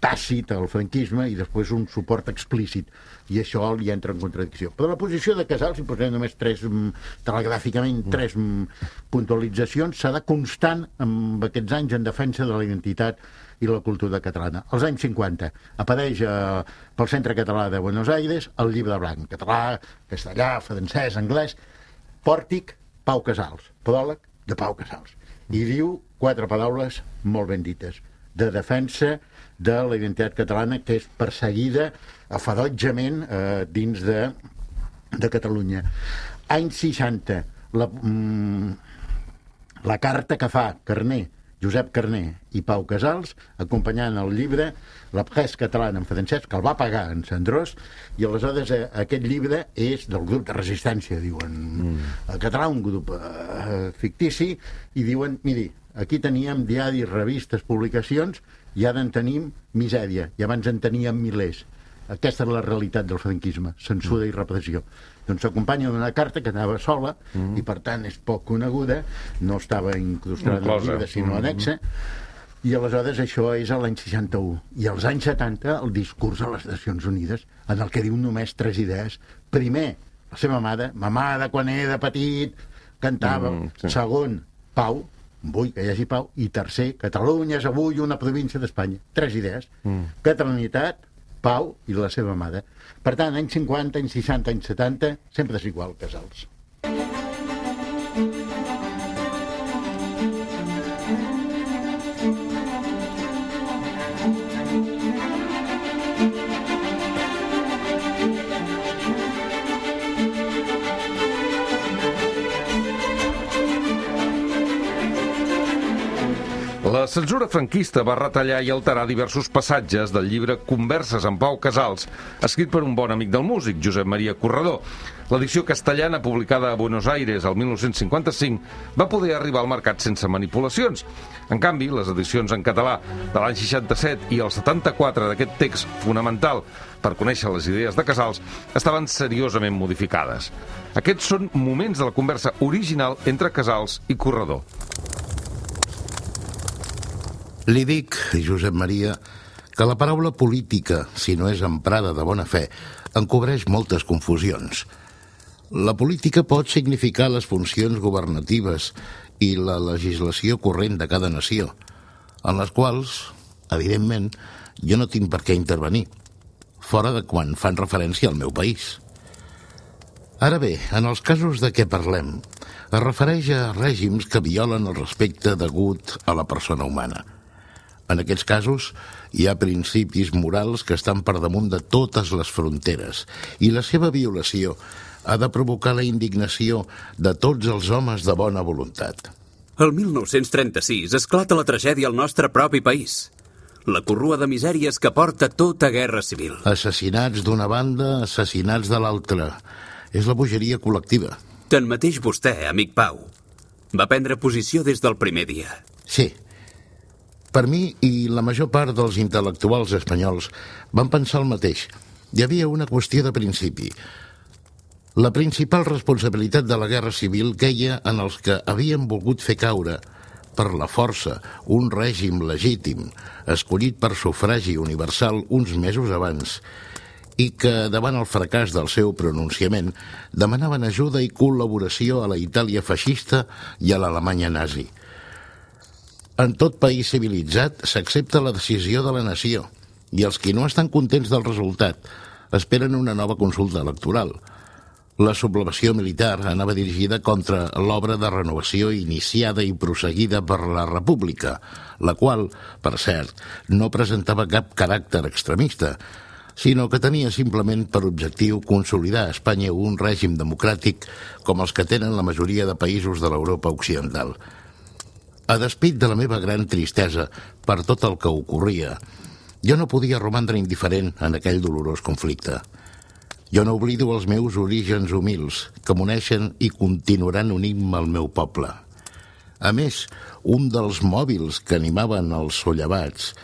tàcit al franquisme i després un suport explícit, i això li entra en contradicció. Però la posició de Casals, si posem només telegràficament tres puntualitzacions, serà constant en aquests anys en defensa de la identitat i la cultura catalana. Als anys 50 apareix pel Centre Català de Buenos Aires el llibre blanc, català, castellà, francès, anglès, pòrtic, Pau Casals, pròleg de Pau Casals. I diu 4 paraules molt ben dites, de defensa de la identitat catalana, que és perseguida ferotgement dins de Catalunya. Anys 60, la carta que fa Carner Josep Carner i Pau Casals, acompanyant el llibre La presse catalana en francès, que el va pagar en Sandrós, i aleshores aquest llibre és del grup de resistència, diuen, el català, un grup fictici, i diuen, miri, aquí teníem diaris, revistes, publicacions, i ara en tenim misèria, i abans en teníem milers. Aquesta és la realitat del franquisme, censura i repressió. Doncs s'acompanya d'una carta que anava sola i per tant és poc coneguda, no estava incrustada en el llibre sinó anexa, i aleshores això és a l'any 61. I als anys 70 el discurs a les Nacions Unides, en el que diu només 3 idees. Primer, la seva mare, ma mare quan era petit cantava. Segon, pau, vull que hi hagi pau. I tercer, Catalunya és avui una província d'Espanya. 3 idees. Catalanitat, pau i la seva mare. Per tant, anys 50, anys 60, anys 70, sempre és igual, Casals. La censura franquista va retallar i alterar diversos passatges del llibre Converses amb Pau Casals, escrit per un bon amic del músic, Josep Maria Corredor. L'edició castellana, publicada a Buenos Aires el 1955, va poder arribar al mercat sense manipulacions. En canvi, les edicions en català de l'any 67 i el 74 d'aquest text fonamental per conèixer les idees de Casals estaven seriosament modificades. Aquests són moments de la conversa original entre Casals i Corredor. Li dic, Josep Maria, que la paraula política, si no és emprada de bona fe, encobreix moltes confusions. La política pot significar les funcions governatives i la legislació corrent de cada nació, en les quals, evidentment, jo no tinc per què intervenir, fora de quan fan referència al meu país. Ara bé, en els casos de què parlem, es refereix a règims que violen el respecte degut a la persona humana. En aquests casos, hi ha principis morals que estan per damunt de totes les fronteres i la seva violació ha de provocar la indignació de tots els homes de bona voluntat. El 1936 esclata la tragèdia al nostre propi país. La corrua de misèries que porta tota guerra civil. Assassinats d'una banda, assassinats de l'altra. És la bogeria col·lectiva. Tanmateix vostè, amic Pau, va prendre posició des del primer dia. Sí. Per mi i la major part dels intel·lectuals espanyols van pensar el mateix. Hi havia una qüestió de principi. La principal responsabilitat de la guerra civil queia en els que havien volgut fer caure, per la força, un règim legítim, escollit per sufragi universal uns mesos abans, i que, davant el fracàs del seu pronunciament, demanaven ajuda i col·laboració a la Itàlia feixista i a l'Alemanya nazi. En tot país civilitzat s'accepta la decisió de la nació i els qui no estan contents del resultat esperen una nova consulta electoral. La sublevació militar anava dirigida contra l'obra de renovació iniciada i prosseguida per la República, la qual, per cert, no presentava cap caràcter extremista, sinó que tenia simplement per objectiu consolidar a Espanya un règim democràtic com els que tenen la majoria de països de l'Europa occidental. A despit de la meva gran tristesa per tot el que ocorria, jo no podia romandre indiferent en aquell dolorós conflicte. Jo no oblido els meus orígens humils, que m'uneixen i continuaran unint-me al meu poble. A més, un dels mòbils que animaven els sollevats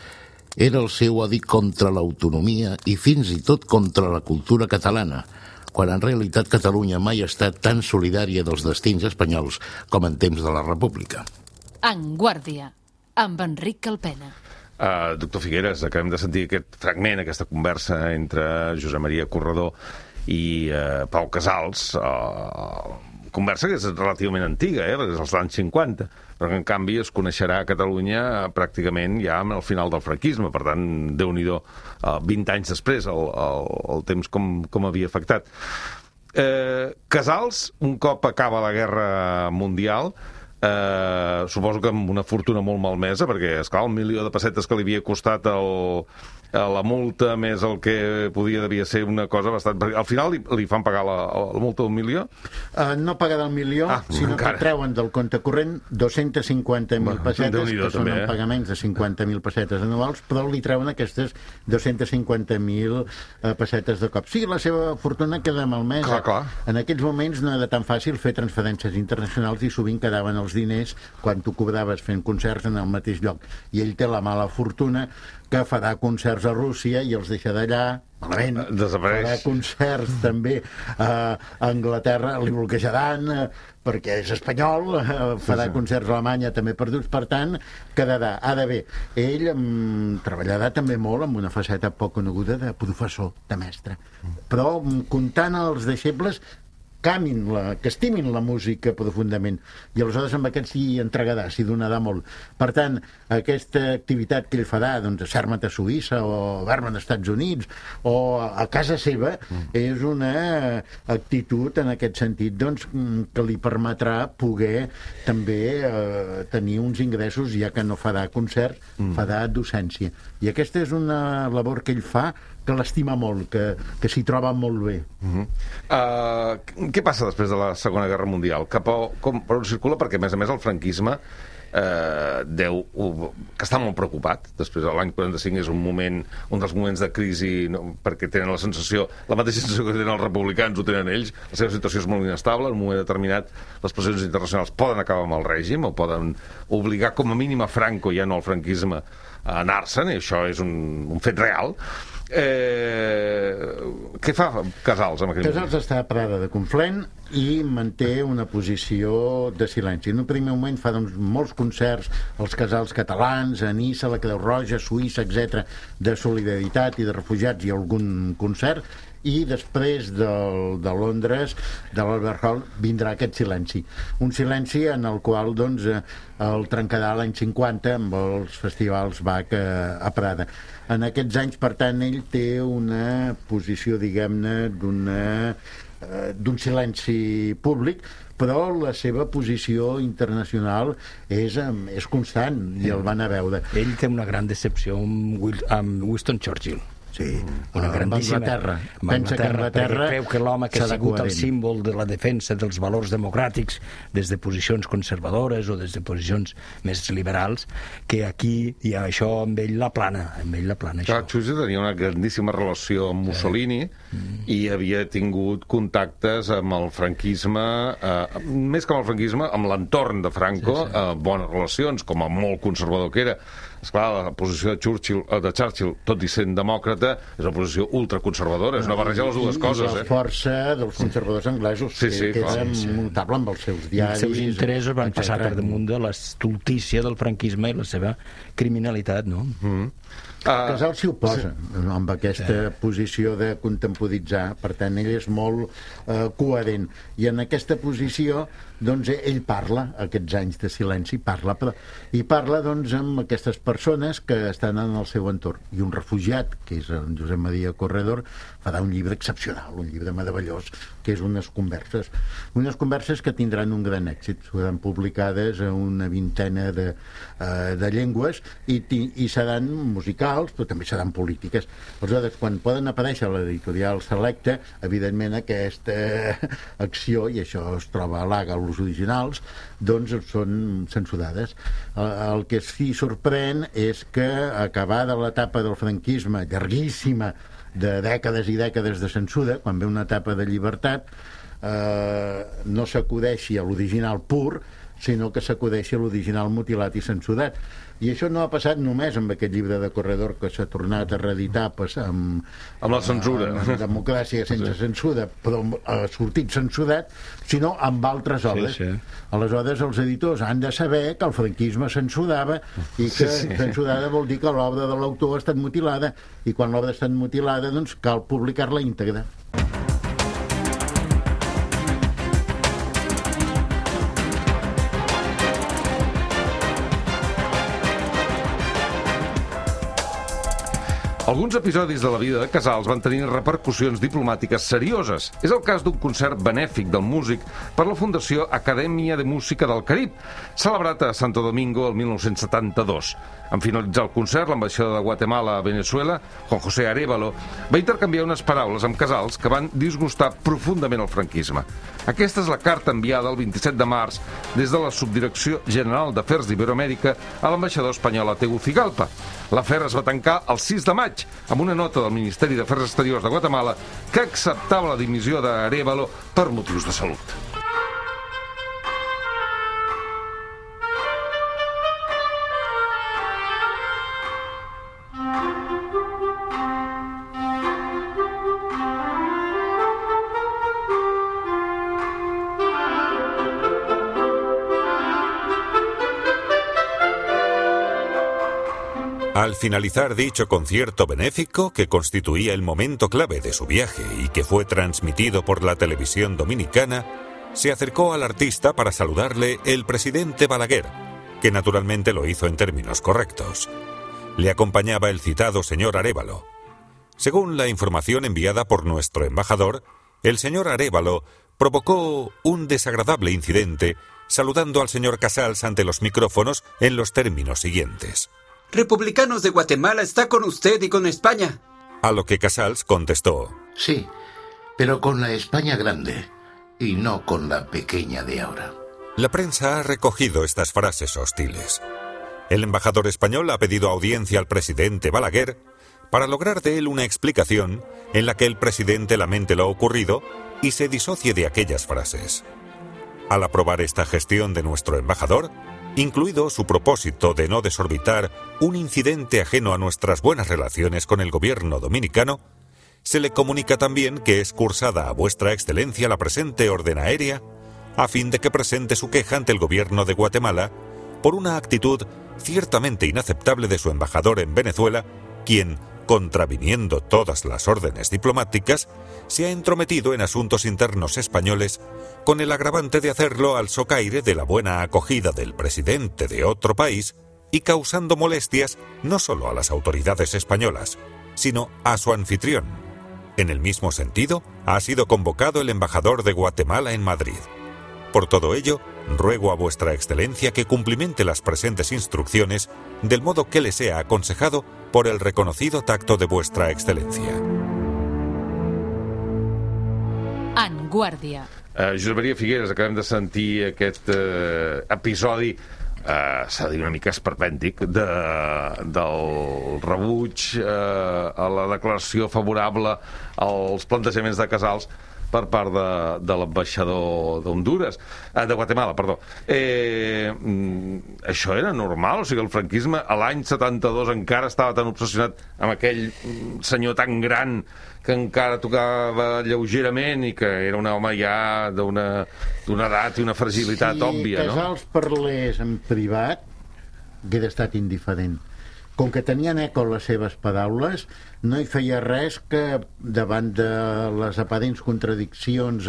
era el seu odi contra l'autonomia i fins i tot contra la cultura catalana, quan en realitat Catalunya mai ha estat tan solidària dels destins espanyols com en temps de la República. En Guàrdia, amb Enric Calpena. Doctor Figueres, acabem de sentir aquest fragment, aquesta conversa entre Josep Maria Corredor i Pau Casals, conversa que és relativament antiga, és dels anys 50, però que en canvi es coneixerà a Catalunya pràcticament ja al final del franquisme, per tant, Déu-n'hi-do, 20 anys després, el temps com havia afectat. Casals, un cop acaba la Guerra Mundial, suposo que amb una fortuna molt malmesa, perquè, esclar, el 1.000.000 de pessetes que li havia costat la multa més el que devia ser una cosa bastant... Perquè al final li fan pagar la multa d'un 1.000.000? No pagar del 1.000.000, sinó que treuen del compte corrent 250.000 pessetes, que són pagaments de 50.000 pessetes anuals, però li treuen aquestes 250.000 pessetes de cop. Sí, la seva fortuna queda malmesa. Clar. En aquells moments no era tan fàcil fer transferències internacionals i sovint quedaven els diners quan tu cobraves fent concerts en el mateix lloc. I ell té la mala fortuna que farà concerts a Rússia i els deixa d'allà, malament. Desapareix. Farà concerts també a Anglaterra, li bloquejaran, perquè és espanyol, farà concerts a Alemanya també perduts, per tant, quedarà. Ara bé, ell treballarà també molt amb una faceta poc coneguda de professor, de mestre. Però comptant els deixebles que estimin la música profundament, i aleshores amb aquest s'hi entregarà, s'hi donarà molt. Per tant, aquesta activitat que ell farà, doncs, a Zermatt a Suïssa o a Berman als Estats Units o a casa seva, és una actitud en aquest sentit, doncs, que li permetrà poder també tenir uns ingressos, ja que no farà concerts, farà docència. I aquesta és una labor que ell fa, que l'estima molt, que s'hi troba molt bé. Què passa després de la Segona Guerra Mundial? Per on circula? Perquè, a més, el franquisme que està molt preocupat. Després, l'any 45 és un dels moments de crisi, perquè tenen la mateixa sensació que tenen els republicans, ho tenen ells. La seva situació és molt inestable. En un moment determinat, les pressions internacionals poden acabar amb el règim o poden obligar com a mínim a Franco, ja no al franquisme, a anar-se'n, i això és un fet real. Què fa Casals en aquell moment? Casals està a Prada de Conflent i manté una posició de silenci. En un primer moment fa molts concerts als casals catalans, a Niça, la Creu Roja, Suïssa, etc., de solidaritat i de refugiats, i algun concert, i després de Londres, de l'Albert Hall, vindrà aquest silenci. Un silenci en el qual el trencarà l'any 50 amb els festivals Bach a Prada. En aquests anys, per tant, ell té una posició, diguem-ne, d'un silenci públic, però la seva posició internacional és constant, i el van a veure. Ell té una gran decepció amb Winston Churchill. Sí, una grandíssima... Anglaterra. Pensa que Anglaterra creu que l'home que ha sigut el símbol de la defensa dels valors democràtics des de posicions conservadores o des de posicions més liberals, que aquí, i això amb ell la plana, Clar, Churchill tenia una grandíssima relació amb Mussolini i havia tingut contactes amb el franquisme, més que amb el franquisme, amb l'entorn de Franco, bones relacions, com a molt conservador que era. Esclar, la posició de Churchill, tot i sent demòcrata, és una posició ultraconservadora, és una barreja de les dues coses. I la força dels conservadors anglesos, que era notable amb els seus diaris. Els seus interessos van passar per damunt de l'estultícia del franquisme i la seva criminalitat, no? Casals s'hi oposa amb aquesta posició de contemporitzar, per tant ell és molt coherent, i en aquesta posició doncs ell parla aquests anys de silenci, i parla doncs amb aquestes persones que estan en el seu entorn, i un refugiat, que és en Josep Maria Corredor, farà un llibre excepcional, un llibre meravellós, que és unes converses que tindran un gran èxit, seran publicades a una vintena de llengües i seran musicals, però també seran polítiques. Aleshores, quan poden aparèixer a l'editorial Selecta, evidentment aquesta acció, i això es troba a l'AGA, els originals, doncs són censurades. El que sí sorprèn és que, acabada l'etapa del franquisme, llarguíssima, de dècades i dècades de censura, quan ve una etapa de llibertat, no s'acudeixi a l'original pur, sinó que s'acudeixi a l'original mutilat i censurat. I això no ha passat només amb aquest llibre de Corredor, que s'ha tornat a reeditar amb la censura, amb Democràcia sense censura, però ha sortit censurat, sinó amb altres obres. Aleshores els editors han de saber que el franquisme censurava, i que censurada vol dir que l'obra de l'autor ha estat mutilada, i quan l'obra ha estat mutilada doncs cal publicar-la íntegra. Alguns episodis de la vida de Casals van tenir repercussions diplomàtiques serioses. És el cas d'un concert benèfic del músic per la Fundació Acadèmia de Música del Carib, celebrat a Santo Domingo el 1972. En finalitzar el concert, l'ambaixador de Guatemala a Venezuela, Juan José Arévalo, va intercanviar unes paraules amb Casals que van disgustar profundament el franquisme. Aquesta és la carta enviada el 27 de març des de la Subdirecció General d'Afers d'Iberoamèrica a l'ambaixador espanyol a Tegucigalpa. L'afer es va tancar el 6 de maig amb una nota del Ministeri d'Afers Exteriors de Guatemala que acceptava la dimissió d'Arévalo per motius de salut. Al finalizar dicho concierto benéfico, que constituía el momento clave de su viaje y que fue transmitido por la televisión dominicana, se acercó al artista para saludarle el presidente Balaguer, que naturalmente lo hizo en términos correctos. Le acompañaba el citado señor Arévalo. Según la información enviada por nuestro embajador, el señor Arévalo provocó un desagradable incidente saludando al señor Casals ante los micrófonos en los términos siguientes: Republicanos de Guatemala está con usted y con España. A lo que Casals contestó: Sí, pero con la España grande y no con la pequeña de ahora. La prensa ha recogido estas frases hostiles. El embajador español ha pedido audiencia al presidente Balaguer para lograr de él una explicación en la que el presidente lamente lo ocurrido y se disocie de aquellas frases. Al aprobar esta gestión de nuestro embajador, incluido su propósito de no desorbitar un incidente ajeno a nuestras buenas relaciones con el gobierno dominicano, se le comunica también que es cursada a vuestra excelencia la presente orden aérea a fin de que presente su queja ante el gobierno de Guatemala por una actitud ciertamente inaceptable de su embajador en Venezuela, quien, contraviniendo todas las órdenes diplomáticas, se ha entrometido en asuntos internos españoles con el agravante de hacerlo al socaire de la buena acogida del presidente de otro país y causando molestias no solo a las autoridades españolas, sino a su anfitrión. En el mismo sentido, ha sido convocado el embajador de Guatemala en Madrid. Por todo ello, ruego a vuestra excelencia que cumplimente las presentes instrucciones del modo que le sea aconsejado por el reconocido tacto de vuestra excelencia. En Guàrdia. Josep Maria Figueres, acabem de sentir aquest episodi, s'ha de dir una mica esperpèntic, del rebuig a la declaració favorable als plantejaments de Casals per part de l'ambaixador d'Honduras, de Guatemala, perdó. Això era normal? O sigui, el franquisme a l'any 72 encara estava tan obsessionat amb aquell senyor tan gran que encara tocava lleugerament i que era un home ja d'una edat i una fragilitat òbvia, no? Si Casals parlés en privat, hauria estat indiferent. Com que tenien eco les seves paraules, no hi feia res que davant de les aparents contradiccions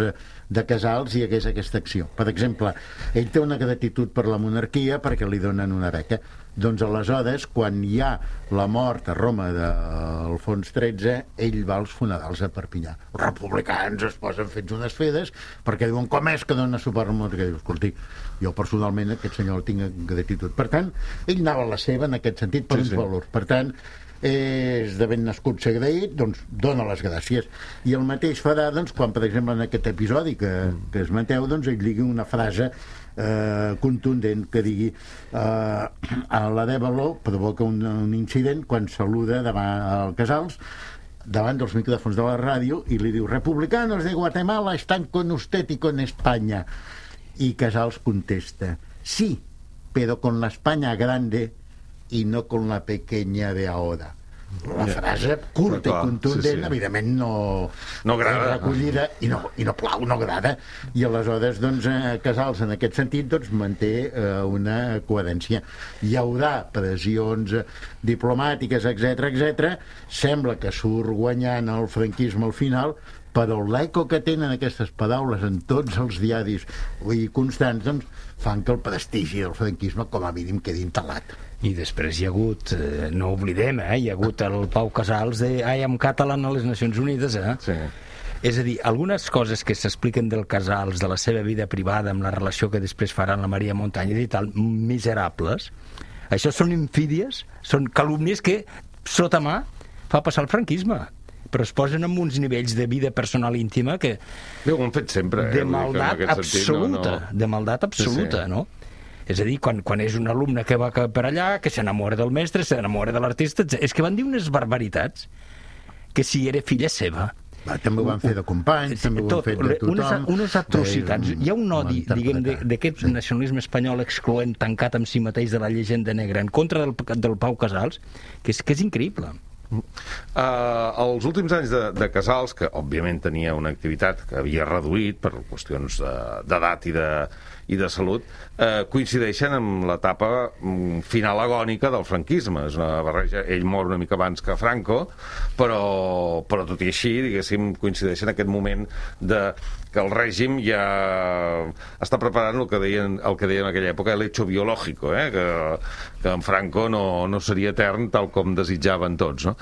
de Casals hi hagués aquesta acció. Per exemple, ell té una gratitud per la monarquia perquè li donen una beca. Doncs aleshores, quan hi ha la mort a Roma d'Alfons XIII, ell va als funerals a Perpinyà. Els republicans es posen fets unes fedes perquè diuen com és que dona suport al monarquia. Diu, escolti, jo personalment aquest senyor el tinc gratitud. Per tant, ell anava a la seva en aquest sentit per uns valors. Per tant, és de ben nascut ser agraït, doncs dona les gràcies. I el mateix farà doncs, quan, per exemple, en aquest episodi que esmenteu, doncs ell digui una frase contundent que digui a l'Arévalo provoca un incident quan saluda davant el Casals davant dels micròfons de la ràdio i li diu: republicanos de Guatemala están con usted y con España. Y Casals contesta: sí, pero con la España grande y no con la pequeña de ahora. La frase curta i contundent, evidentment no agrada, recollida i no plau, no agrada, i aleshores doncs Casals en aquest sentit doncs manté una coherència. Hi haurà pressions diplomàtiques, etc. Sembla que surt guanyant el franquisme al final, però l'eco que tenen aquestes paraules en tots els diaris constants, doncs, fan que el prestigi del franquisme com a mínim quedi entelat. I després hi ha hagut, no oblidem, hi ha hagut el Pau Casals de I am Catalan a les Nacions Unides, Sí. És a dir, algunes coses que s'expliquen del Casals, de la seva vida privada, amb la relació que després farà amb la Maria Montañez i tal, miserables, això són infídies, són calúmnies que, sota mà, fa passar el franquisme, però es posen en uns nivells de vida personal íntima que... Bé, ho han fet sempre, de maldat absoluta, de maldat absoluta, no? És a dir, quan és un alumne que va per allà, que s'enamora del mestre, s'enamora de l'artista, és que van dir unes barbaritats que si era filla seva. També ho van fer de companys, també ho han fet de tothom. Unes atrocitats. Hi ha un odi, diguem, d'aquest nacionalisme espanyol excloent, tancat amb si mateix de la llegenda negra, en contra del Pau Casals, que és increïble. Els últims anys de Casals, que òbviament tenia una activitat que havia reduït per qüestions d'edat i de salut, coincideixen amb l'etapa final agònica del franquisme. És una barreja, ell mor una mica abans que Franco, però tot i així, diguéssim, coincideixen en aquest moment que el règim ja està preparant el que deien en aquella època l'hecho biològico, que en Franco no seria etern tal com desitjaven tots, no?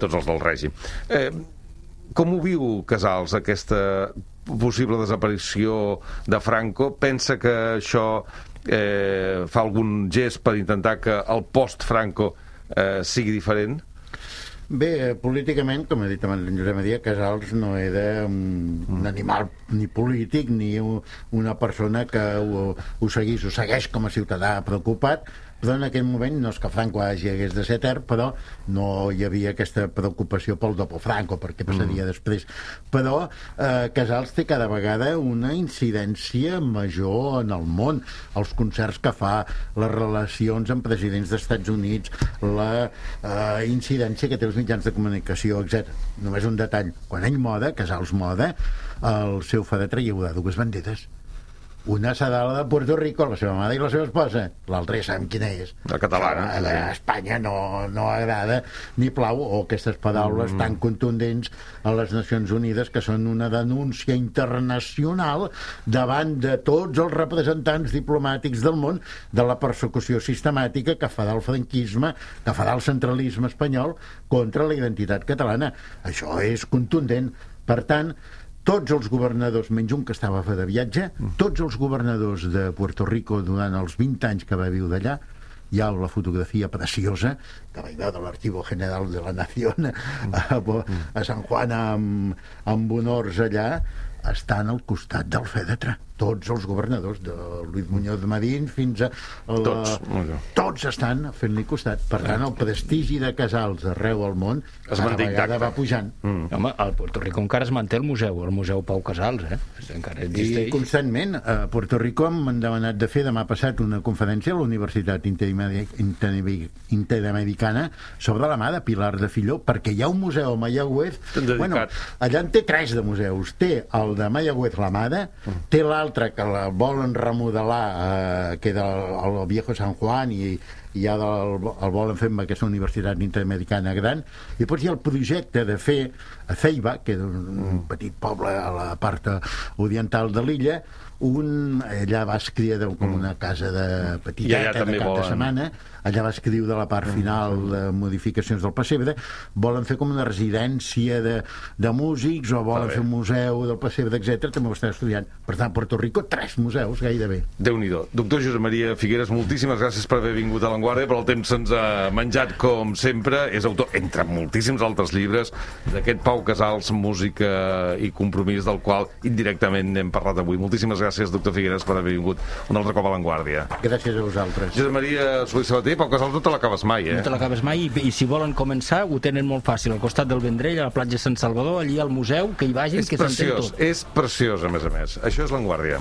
Tots els del règim. Com ho viu Casals, aquesta possible desaparició de Franco? Pensa que això fa algun gest per intentar que el post-Franco sigui diferent? Bé, políticament, com ha dit abans en Josep Maria, Casals no era un animal ni polític ni una persona que ho segueix com a ciutadà preocupat, però en aquell moment no és que Franco hagués de ser etern, però no hi havia aquesta preocupació pel dopo Franco, perquè passaria després. Però Casals té cada vegada una incidència major en el món. Els concerts que fa, les relacions amb presidents dels Estats Units, la incidència que té els mitjans de comunicació, etc. Només un detall. Quan ell moda, Casals moda, el seu fadatre hi haurà dues banderes. Una serà la de Puerto Rico, la seva mare i la seva esposa. L'altra ja sabem quina és. La catalana. A Espanya no agrada ni plau, o aquestes paraules tan contundents a les Nacions Unides, que són una denúncia internacional davant de tots els representants diplomàtics del món de la persecució sistemàtica que farà el franquisme, que farà el centralisme espanyol contra la identitat catalana. Això és contundent. Per tant, tots els governadors, menys un que estava de viatge, tots els governadors de Puerto Rico durant els 20 anys que va viure allà, hi ha la fotografia preciosa que vaig veure de l'Archivo General de la Nación a San Juan amb honors allà, estan al costat del fèretre. Tots els governadors, de Luis Muñoz Marín fins a... Tots estan fent-li costat. Per tant, el prestigi de Casals arreu al món cada vegada va pujant. Home, al Puerto Rico encara es manté el museu Pau Casals, encara existeix. I constantment, a Puerto Rico m'han demanat de fer demà passat una conferència a la Universitat Interamericana sobre la mà de Pilar de Filló, perquè hi ha un museu a Mayagüez. Bueno, allà en té 3 de museus. Té el de Mayagüez La Mada, té l'altre que la volen remodelar, que era el Viejo San Juan, i ja el volen fer amb aquesta universitat interamericana gran, i després hi ha el projecte de fer a Ceiba, que és un petit poble a la part oriental de l'illa, allà va escriure com una casa de petiteta de cap de setmana, allà va escriure la part final de modificacions del pessebre. Volen fer com una residència de músics, o volen fer un museu del pessebre, etc. També ho estan estudiant. Per tant, a Puerto Rico 3 museus gairebé. Déu-n'hi-do. Doctor Josep Maria Figueras, moltíssimes gràcies per haver vingut a l'Avantguàrdia, però el temps se'ns ha menjat com sempre. És autor, entre moltíssims altres llibres, d'aquest Pau Casals, Música i Compromís, del qual indirectament n'hem parlat avui. Moltíssimes gràcies, doctor Figueras, per haver vingut un altre cop a l'Avantguàrdia. Gràcies a vosaltres. Josep Maria Solís Sabater, Pau Casals, no te l'acabes mai, No te l'acabes mai, i si volen començar ho tenen molt fàcil, al costat del Vendrell, a la platja Sant Salvador, allí al museu, que hi vagin, que s'entén tot. És preciós, a més. Això és l'Avantguàrdia.